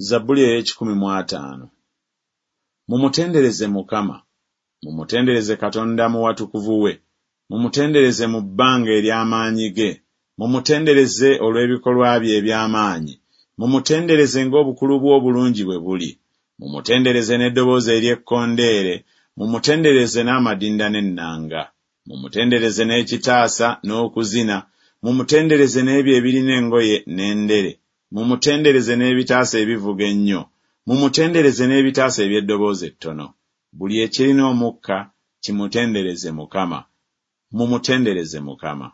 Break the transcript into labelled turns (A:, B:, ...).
A: Zabbuli ey'ekikumi mu ataano. Mumutendereze Mukama. Mumutendereze Katonda mu watukuvu we, mumutendereze mu bbanga ery'amaanyi ge, mumutendereze olw'ebikolwa bye eby'amaanyi, mumutendereze ng'obukulu bw'obulungi bwe buli. Mumutendereze n'eddoboozi ery'ekkondeere, mumutendereze n'amadinda n'ennanga. Mumutendereze n'ekitaasa n'okuzina, mumutendereze n'ebyo ebirina engoye n'endere. Mumutendereze n'ebitaasa ebivuga ennyo, mumutendereze n'ebitaasa eby'eddoboozi ettono. Buli ekirina omukka kimutendereze Mukama. Mumutendereze Mukama.